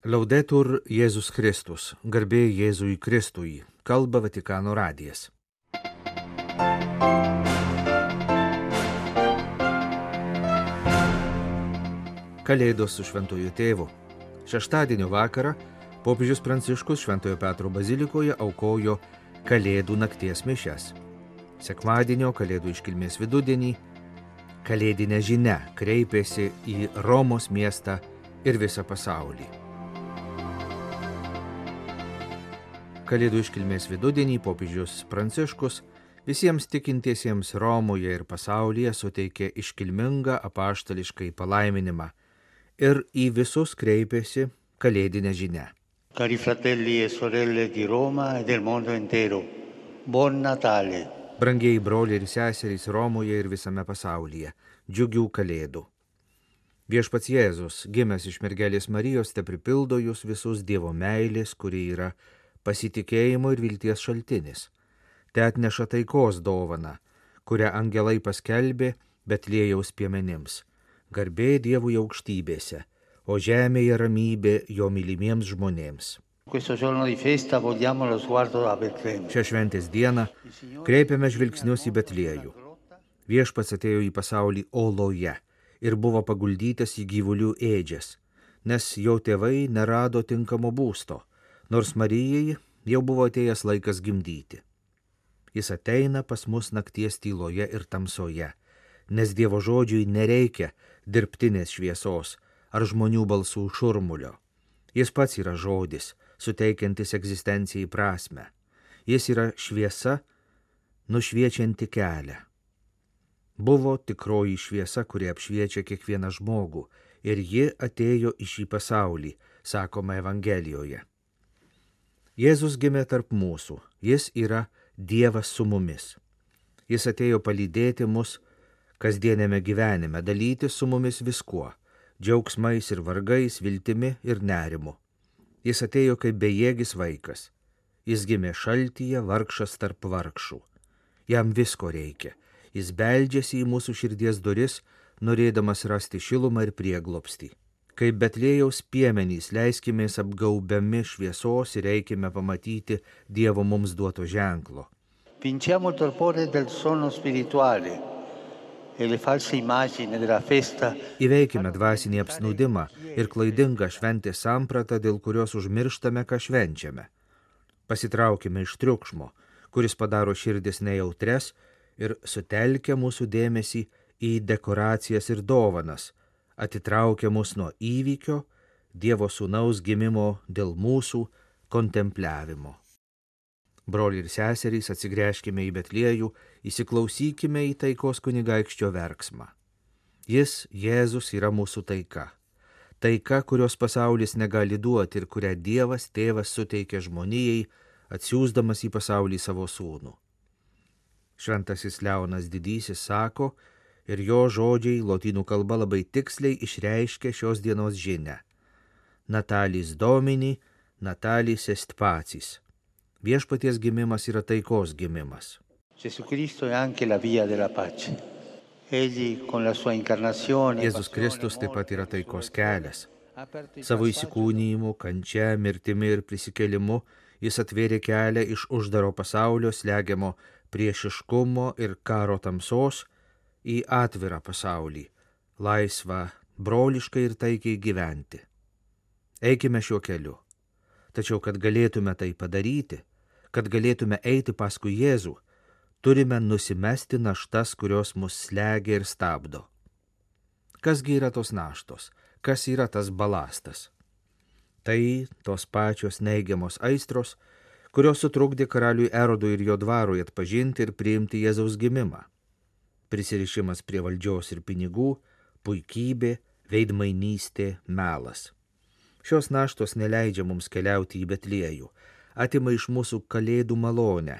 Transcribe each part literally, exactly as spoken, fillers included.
Laudetur Jėzus Kristus, garbė Jėzui Kristui, kalba Vatikano radijas. Kalėdos su Šventuoju Tėvu. Šeštadienio vakarą popiežius Pranciškus Šventojo Petro bazilikoje aukojo Kalėdų nakties mišias. Sekmadienio Kalėdų iškilmės vidudienį kalėdinė žinia kreipėsi į Romos miestą ir visą pasaulį. Kalėdų iškilmės vidudienį popiežius Pranciškus visiems tikintiesiems Romoje ir pasaulyje suteikė iškilmingą apaštališkai palaiminimą ir į visus kreipėsi kalėdinę žinią. Cari fratelli e sorelle di Roma e del mondo intero, buon Natale. Brangieji broliai ir seserys Romoje ir visame pasaulyje, džiugių kalėdų. Viešpats Jėzus, gimęs iš mergelės Marijos, te pripildo jūs visus Dievo meilės, kuri yra pasitikėjimo ir vilties šaltinis. Te atneša taikos dovaną, kurią angelai paskelbė Betliejaus piemenims. Garbė Dievui aukštybėse, o žemėje ramybė jo mylimiems žmonėms. Šią šventės dieną kreipiame žvilgsnius į Betliejų. Viešpats atėjo į pasaulį oloje ir buvo paguldytas į gyvulių ėdžias, nes jo tėvai nerado tinkamo būsto, nors Marijai jau buvo atėjęs laikas gimdyti. Jis ateina pas mus nakties tyloje ir tamsoje, nes Dievo žodžiui nereikia dirbtinės šviesos ar žmonių balsų šurmulio. Jis pats yra žodis, suteikiantis egzistencijai prasmę. Jis yra šviesa, nušviečianti kelią. Buvo tikroji šviesa, kuri apšviečia kiekvieną žmogų, ir ji atėjo į šį pasaulį, sakoma Evangelijoje. Jėzus gimė tarp mūsų, jis yra Dievas su mumis. Jis atėjo palydėti mus kasdienėme gyvenime, dalyti su mumis viskuo, džiaugsmais ir vargais, viltimi ir nerimu. Jis atėjo kaip bejėgis vaikas. Jis gimė šaltyje, vargšas tarp vargšų. Jam visko reikia. Jis beldžiasi į mūsų širdies duris, norėdamas rasti šilumą ir prieglobstį. Kaip Betliejaus piemenys leiskimės apgaubiami šviesos ir eikime pamatyti Dievo mums duoto ženklo. Vinciamo il torpore del sonno spirituale e le false immagini della festa. Įveikime dvasinį apsnūdimą ir klaidingą šventės sampratą, dėl kurios užmirštame, ką švenčiame. Pasitraukime iš triukšmo, kuris padaro širdis nejautres ir sutelkia mūsų dėmesį į dekoracijas ir dovanas, atitraukia mus nuo įvykio, Dievo sūnaus gimimo dėl mūsų kontempliavimo. Broliai ir seserys, atsigręžkime į Betliejų, įsiklausykime į taikos kunigaikščio verksmą. Jis, Jėzus, yra mūsų taika. Taika, kurios pasaulis negali duoti ir kurią Dievas tėvas suteikia žmonijai, atsiųsdamas į pasaulį savo sūnų. Šventasis Leonas Didysis sako, ir jo žodžiai lotynų kalba labai tiksliai išreiškia šios dienos žinią. Natalis Domini, Natalis est pacis. Viešpaties gimimas yra taikos gimimas. Jėzus Kristus taip pat yra taikos kelias. Savo įsikūnijimu, kančia, mirtimi ir prisikėlimu jis atvėrė kelią iš uždaro pasaulio slegiamo priešiškumo ir karo tamsos į atvirą pasaulį, laisvą, broliškai ir taikiai gyventi. Eikime šiuo keliu. Tačiau, kad galėtume tai padaryti, kad galėtume eiti paskui Jėzų, turime nusimesti naštas, kurios mus slegia ir stabdo. Kasgi yra tos naštos? Kas yra tas balastas? Tai tos pačios neigiamos aistros, kurios sutrukdė karaliui Erodui ir jo dvarui atpažinti ir priimti Jėzaus gimimą. Prisirišimas prie valdžios ir pinigų, puikybė, veidmainystė, melas. Šios naštos neleidžia mums keliauti į Betliejų, atima iš mūsų kalėdų malonę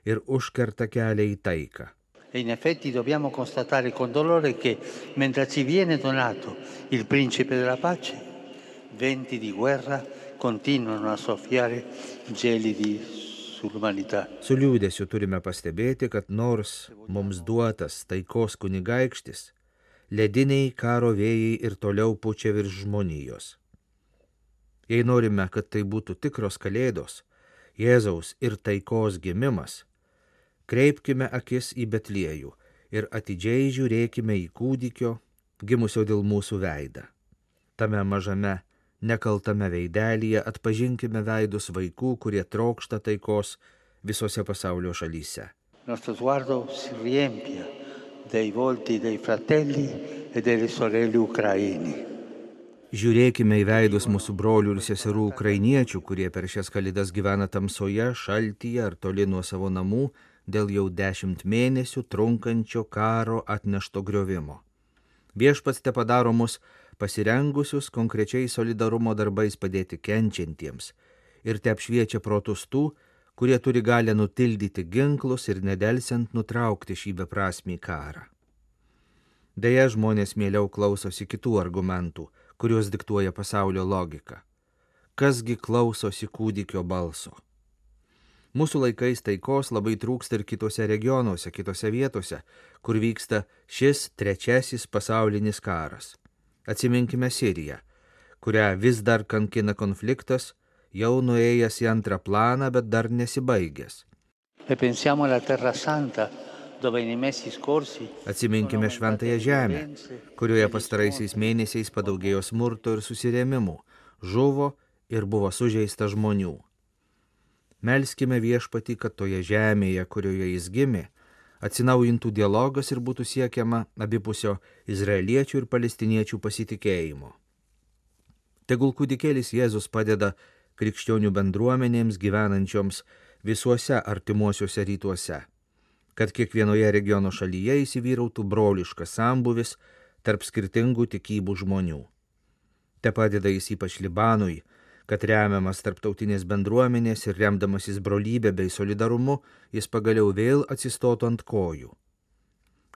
ir užkerta kelią į taiką. E in effetti dobbiamo constatare con dolore che mentre ci viene donato il principe della pace, venti di guerra continuano a soffiare gelidi. Su liūdėsiu turime pastebėti, kad nors mums duotas taikos kunigaikštis, lediniai karo vėjai ir toliau pučia virš žmonijos. Jei norime, kad tai būtų tikros kalėdos, Jėzaus ir taikos gimimas, kreipkime akis į Betliejų ir atidžiai žiūrėkime į kūdikio, gimusio dėl mūsų veidą. Tame mažame, nekaltame veidelyje atpažinkime veidus vaikų, kurie trokšta taikos visose pasaulio šalyse. Nostro sguardo si riempia dei volti dei fratelli e delle sorelle ucraini. Žiūrėkime į veidus mūsų brolių ir seserų ukrainiečių, kurie per šias kalėdas gyvena tamsoje, šaltyje ar toli nuo savo namų dėl jau dešimt mėnesių trunkančio karo atnešto griovimo. Viešpats te padaro mus pasirengusius konkrečiai solidarumo darbais padėti kenčiantiems ir te apšviečia protus tų, kurie turi galę nutildyti ginklus ir nedelsiant nutraukti šį beprasmį karą. Deja, žmonės mieliau klausosi kitų argumentų, kuriuos diktuoja pasaulio logika. Kasgi klausosi kūdikio balso? Mūsų laikais taikos labai trūksta ir kitose regionuose, kitose vietose, kur vyksta šis trečiasis pasaulinis karas. Atsiminkime Siriją, kurią vis dar kankina konfliktas, jau nuėjęs į antrą planą, bet dar nesibaigęs. E pensiamo alla Terra Santa, dove nei mesi scorsi Atsiminkime Šventąją Žemę, kurioje pastaraisiais mėnesiais padaugėjo smurto ir susirėmimų, žuvo ir buvo sužeista žmonių. Melskime Viešpatį, kad toje žemėje, kurioje jis gimė, atsinaujintų dialogas ir būtų siekiama abipusio izraeliečių ir palestiniečių pasitikėjimo. Tegul kūdikėlis Jėzus padeda krikščionių bendruomenėms gyvenančioms visuose artimuosiuose rytuose, kad kiekvienoje regiono šalyje įsivyrautų broliškas sambuvis tarp skirtingų tikybų žmonių. Te padeda jis ypač Libanui, kad remiamas tarptautinės bendruomenės ir remdamasis brolybė bei solidarumu, jis pagaliau vėl atsistotų ant kojų.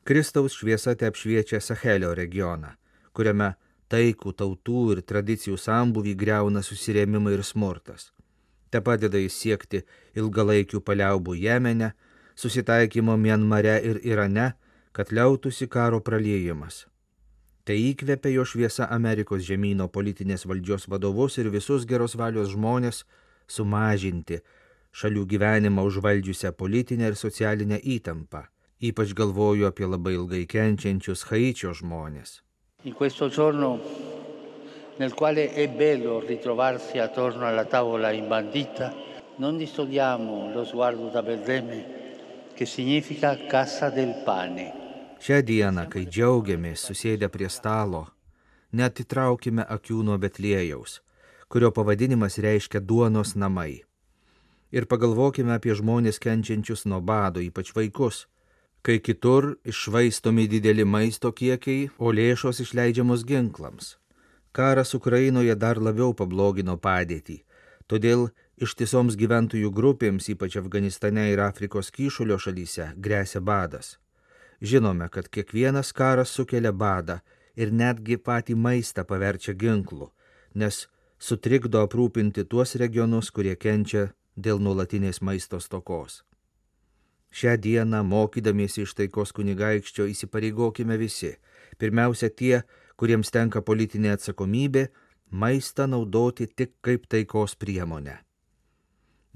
Kristaus šviesa te apšviečia Sahelio regioną, kuriame taikų tautų ir tradicijų sambuvį griauna susirėmimai ir smurtas. Te padeda jis siekti ilgalaikių paliaubų Jemene, susitaikymo Mianmare ir Irane, kad liautųsi karo praliejimas. Tai įkvepia jo šviesa Amerikos žemyno politinės valdžios vadovus ir visus geros valios žmonės sumažinti šalių gyvenimą užvaldžiusią politinę ir socialinę įtampą. Ypač galvoju apie labai ilgai kenčiančius Haičio žmonės. In questo giorno nel quale è bello ritrovarsi attorno alla tavola imbandita, non distogliamo lo sguardo da Betlemme, che significa casa del pane. Šią dieną, kai džiaugiamės susėdę prie stalo, neatitraukime akių nuo Betliejaus, kurio pavadinimas reiškia duonos namai. Ir pagalvokime apie žmonės kenčiančius nuo bado, ypač vaikus, kai kitur iššvaistomi dideli maisto kiekiai, o lėšos išleidžiamos ginklams. Karas Ukrainoje dar labiau pablogino padėtį, todėl ištisoms gyventojų grupėms, ypač Afganistane ir Afrikos kyšulio šalyse, gresia badas. Žinome, kad kiekvienas karas sukelia badą ir netgi patį maistą paverčia ginklu, nes sutrikdo aprūpinti tuos regionus, kurie kenčia dėl nuolatinės maisto stokos. Šią dieną, mokydamiesi iš taikos kunigaikščio, įsipareigokime visi, pirmiausia tie, kuriems tenka politinė atsakomybė, maistą naudoti tik kaip taikos priemonę.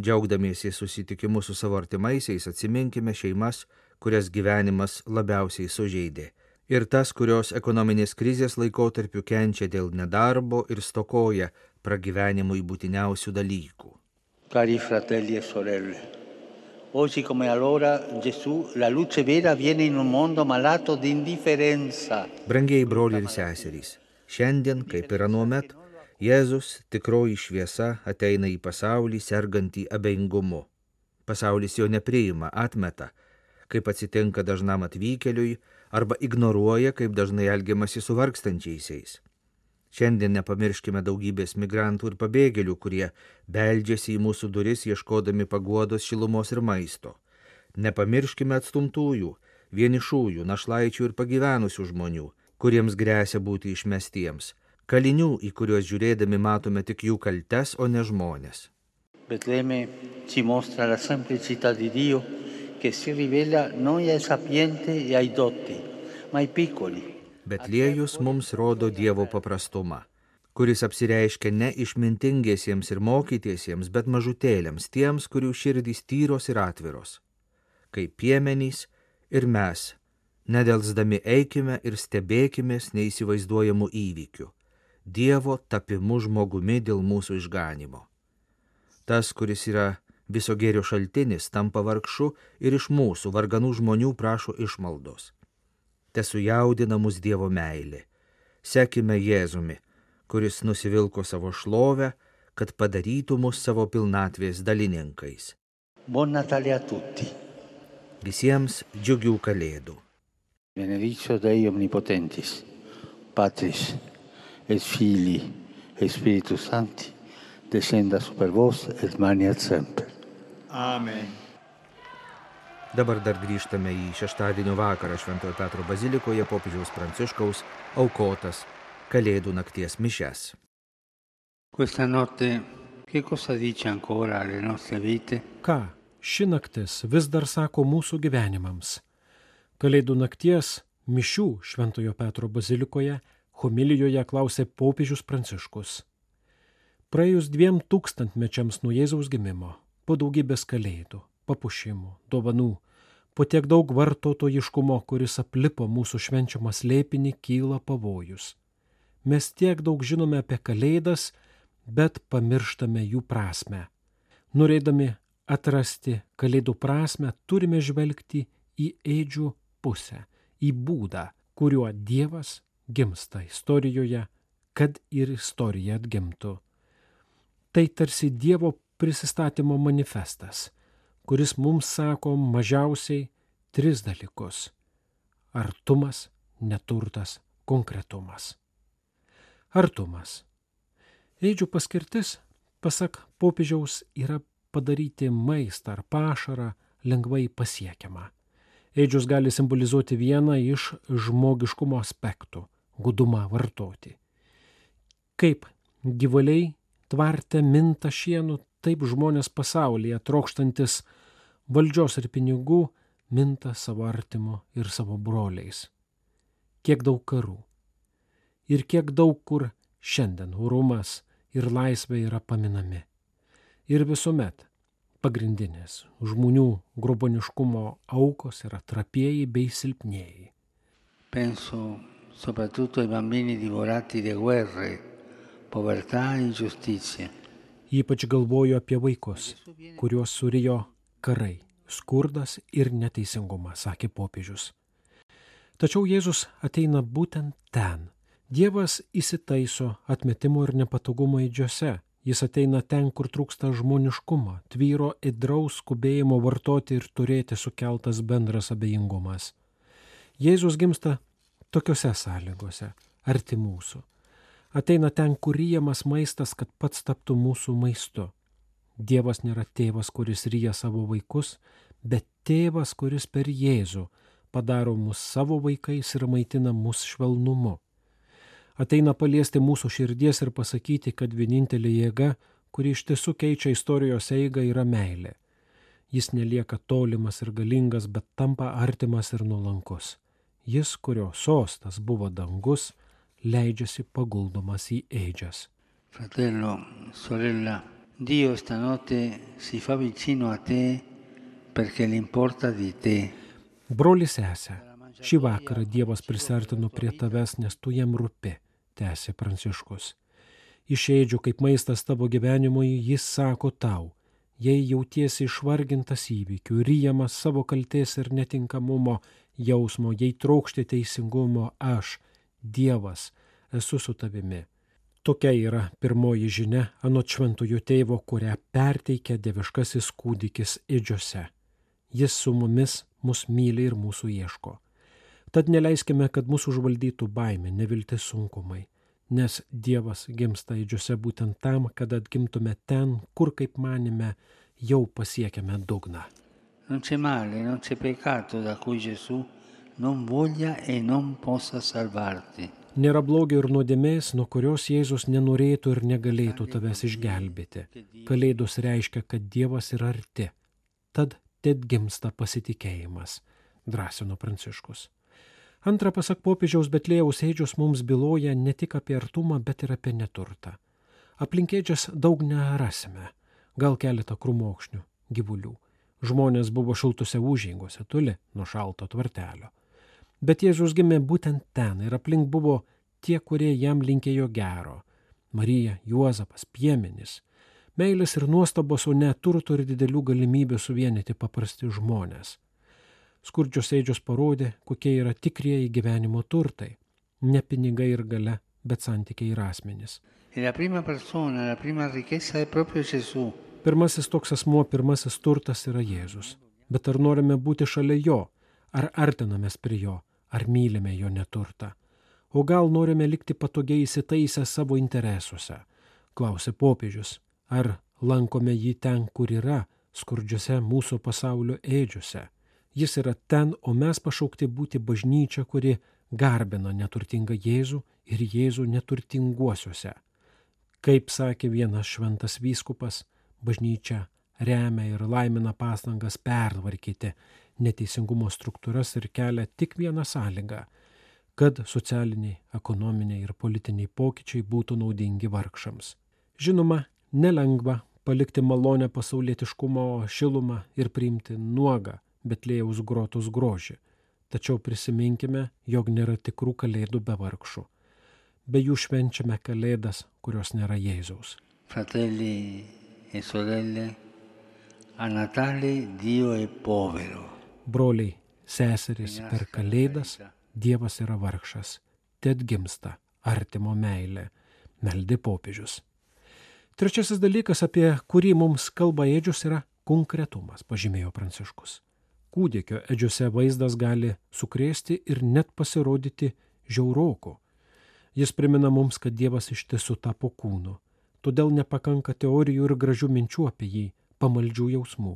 Džiaugdamiesi susitikimu su savo artimaisiais, atsiminkime šeimas, kurias gyvenimas labiausiai sužeidė, ir tas, kurios ekonominės krizės laikotarpiu kenčia dėl nedarbo ir stokoja pragyvenimui būtiniausių dalykų. Cari fratelli e sorelle, oggi come allora Gesù, la luce vera, viene in un mondo malato di indifferenza. Brangieji broliai ir seserys, šiandien, kaip ir anuomet, Jėzus, tikroji šviesa, ateina į pasaulį sergantį abejingumu. Pasaulis jo nepriima, atmeta, kaip atsitinka dažnam atvykėliui, arba ignoruoja, kaip dažnai elgiamasi su vargstančiaisiais. Šiandien nepamirškime daugybės migrantų ir pabėgėlių, kurie beldžiasi į mūsų duris ieškodami paguodos, šilumos ir maisto. Nepamirškime atstumtųjų, vienišųjų, našlaičių ir pagyvenusių žmonių, kuriems gresia būti išmestiems, kalinių, į kuriuos žiūrėdami matome tik jų kaltes, o ne žmonės. Betlemme ci mostra la semplicità di Dio che si rivela non ai sapienti e ai dotti, ma ai piccoli. Betliejus mums rodo Dievo paprastumą, kuris apsireiškia ne išmintingiesiems ir mokytiesiems, bet mažutėliams, tiems, kurių širdys tyros ir atviros. Kaip piemenys ir mes, nedelsdami eikime ir stebėkimės neįsivaizduojamų įvykių, Dievo tapimu žmogumi dėl mūsų išganimo. Tas, kuris yra viso gėrio šaltinis, tampa vargšu ir iš mūsų, varganų žmonių, prašo išmaldos. Tesujaudina mus Dievo meilė. Sekime Jėzumi, kuris nusivilko savo šlovę, kad padarytų mus savo pilnatvės dalininkais. Buon Natale a tutti. Visiems džiugių kalėdų. Benedictio Dei Omnipotentis, Patris et Filii et Spiritus Sancti, descenda super vos et maniat semper. Amen. Dabar dar grįžtame į šeštadienio vakarą Šventojo Petro bazilikoje popiežiaus Pranciškaus aukotas Kalėdų nakties mišias. Questa notte che cosa dice ancora alle nostre vite? Ką ši naktis vis dar sako mūsų gyvenimams? Kalėdų nakties mišių Šventojo Petro bazilikoje homilijoje klausė popiežius Pranciškus. Praėjus dviem tūkstantmečiams nuo Jėzaus gimimo, po daugybės kalėdų, papuošimų, dovanų, po tiek daug vartotojiškumo, kuris aplipo mūsų švenčiamą slėpinį, kyla pavojus. Mes tiek daug žinome apie kalėdas, bet pamirštame jų prasmę. Norėdami atrasti kalėdų prasmę, turime žvelgti į ėdžių pusę, į būdą, kuriuo Dievas gimsta istorijoje, kad ir istorija atgimtų. Tai tarsi Dievo prisistatymo manifestas, kuris mums sako mažiausiai tris dalykus – artumas, neturtas, konkretumas. Artumas. Ėdžių paskirtis, pasak popiežiaus, yra padaryti maistą ar pašarą lengvai pasiekiamą. Ėdžius gali simbolizuoti vieną iš žmogiškumo aspektų – gudumą vartoti. Kaip gyvuliai tvarte minta šienu, taip žmonės pasaulyje, trokštantis valdžios ir pinigų, minta savo artimu ir savo broliais. Kiek daug karų. Ir kiek daug kur šiandien orumas ir laisvė yra paminami. Ir visuomet pagrindinės žmonių groboniškumo aukos yra trapieji bei silpnieji. Penso soprattutto ai bambini divorati da guerre, povertà e ingiustizia. Ypač galvoju apie vaikus, kuriuos surijo karai, skurdas ir neteisingumas, sakė popiežius. Tačiau Jėzus ateina būtent ten. Dievas įsitaiso atmetimo ir nepatogumo ėdžiose. Jis ateina ten, kur trūksta žmoniškumo, tvyro ėdraus skubėjimo vartoti ir turėti sukeltas bendras abejingumas. Jėzus gimsta tokiose sąlygose, arti mūsų. Ateina ten, kur ryjamas maistas, kad pats taptų mūsų maistu. Dievas nėra tėvas, kuris ryja savo vaikus, bet tėvas, kuris per Jėzų padaro mus savo vaikais ir maitina mus švelnumu. Ateina paliesti mūsų širdies ir pasakyti, kad vienintelė jėga, kuri iš tiesų keičia istorijos eigą, yra meilė. Jis nelieka tolimas ir galingas, bet tampa artimas ir nuolankus. Jis, kurio sostas buvo dangus, leidžiasi paguldomas į ėdžias. Fratello, sorella, Dio stanotte si fa vicino a te perché l'importa di te. Broli sesė, šį vakarą Dievas prisartino prie tavęs, nes tu jam rūpi, tęsė Pranciškus. Iš ėdžių kaip maistas tavo gyvenimui, jis sako tau, jei jautiesi išvargintas įvykių, ryjamas savo kaltės ir netinkamumo jausmo, jei trokšti teisingumo, aš, Dievas, esu su tavimi. Tokia yra pirmoji žinia anot šventojo tėvo, kurią perteikia dieviškasis kūdikis ėdžiose. Jis su mumis mus myli ir mūsų ieško. Tad neleiskime, kad mūsų užvaldytų baimė, neviltis, sunkumai, nes Dievas gimsta ėdžiose būtent tam, kad atgimtume ten, kur, kaip manime, jau pasiekėme dugną. Non c'è male, non c'è peccato da cui Gesù non voglia e non possa salvarti. Nėra blogio ir nuodėmės, nuo kurios Jėzus nenorėtų ir negalėtų tavęs išgelbėti. Kalėdos reiškia, kad Dievas yra arti. Tad tad gimsta pasitikėjimas, drąsino Pranciškus. Antra, pasak popiežiaus, Betliejaus ėdžios mums byloja ne tik apie artumą, bet ir apie neturtą. Aplink ėdžias daug nerasime, gal keletą krūmokšnių, gyvulių. Žmonės buvo šiltose užeigose, toli nuo šalto tvartelio. Bet Jėzus gimė būtent ten ir aplink buvo tie, kurie jam linkėjo gero. Marija, Juozapas, piemenys. Meilės ir nuostabos, o ne turto ir didelių galimybių suvienyti paprasti žmonės. Skurdžios ėdžios parodė, kokie yra tikrieji gyvenimo turtai. Ne pinigai ir galia, bet santykiai ir asmenys. E la prima persona, la prima ricchezza è proprio Gesù. Pirmasis toks asmuo, pirmasis turtas yra Jėzus. Bet ar norime būti šalia jo, ar artinamės prie jo, ar mylime jo neturtą? O gal norime likti patogiai įsitaisę savo interesuose? Klausė popiežius. Ar lankome jį ten, kur yra, skurdžiose mūsų pasaulio ėdžiuose? Jis yra ten, o mes pašaukti būti bažnyčia, kuri garbina neturtingą Jėzų ir Jėzų neturtinguosiuose. Kaip sakė vienas šventas vyskupas, bažnyčia remia ir laimina pastangas pertvarkyti neteisingumo struktūras ir kelia tik vieną sąlygą, kad socialiniai, ekonominiai ir politiniai pokyčiai būtų naudingi vargšams. Žinoma, nelengva palikti malonę pasaulietiškumo šilumą ir priimti nuogą Betliejaus grotos grožį. Tačiau prisiminkime, jog nėra tikrų kalėdų be vargšų. Be jų švenčiame kalėdas, kurios nėra Jėzaus. Fratelli e sorelle, a Natale Dio è povero. Broliai, seserys, per kalėdas Dievas yra vargšas. Ted gimsta artimo meilė, meldė popiežius. Trečiasis dalykas, apie kurį mums kalba ėdžios, yra konkretumas, pažymėjo Pranciškus. Kūdikio ėdžiose vaizdas gali sukrėsti ir net pasirodyti žiauroku. Jis primena mums, kad Dievas iš tiesų tapo kūnu. Todėl nepakanka teorijų ir gražių minčių apie jį, pamaldžių jausmų.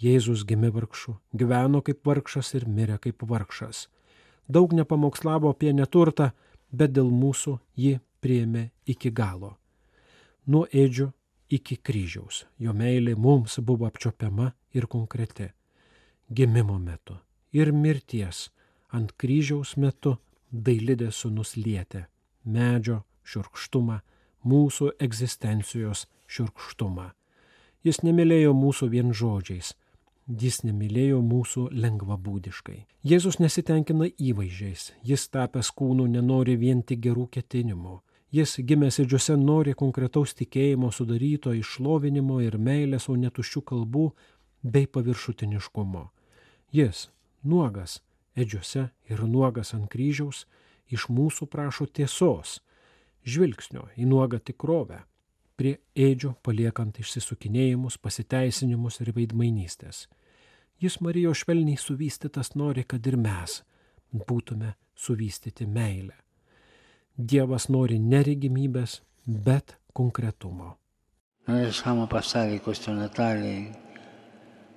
Jėzus gimė vargšu, gyveno kaip vargšas ir mirė kaip vargšas. Daug nepamokslavo apie neturtą, bet dėl mūsų jį priėmė iki galo. Nuo ėdžių iki kryžiaus. Jo meilė mums buvo apčiopiama ir konkreti. Gimimo metu ir mirties ant kryžiaus metu Dailidės sūnus lietė medžio šiurkštumą, mūsų egzistencijos šiurkštumą. Jis nemylėjo mūsų vien žodžiais, jis nemylėjo mūsų lengvabūdiškai. Jėzus nesitenkina įvaizdžiais, jis tapęs kūnu nenori vien tik gerų ketinimų. Jis gimęs ėdžiose nori konkretaus tikėjimo sudaryto iš šlovinimo ir meilės, o ne tuščių kalbų bei paviršutiniškumo. Jis, nuogas ėdžiose ir nuogas ant kryžiaus, iš mūsų prašo tiesos, žvilgsnio į nuogą tikrovę, prie ėdžių paliekant išsisukinėjimus, pasiteisinimus ir veidmainystės. Jis Marijos švelniai suvystytas nori, kad ir mes būtume suvystyti meilę. Dievas nori neregimybės, bet konkretumo. Noi lasciamo passare questo Natale,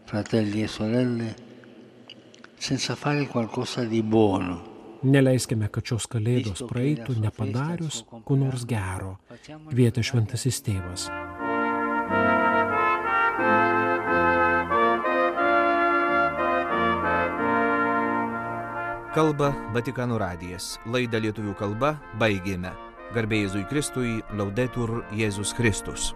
fratelli e sorelle, senza fare qualcosa di buono. Neleiskime, kad šios kalėdos praeitų nepadarius ko nors gero, kvietė šventasis tėvas. Kalba Vatikano radijas. Laidą lietuvių kalba baigėme. Garbė Jėzui Kristui, Laudetur Jėzus Kristus.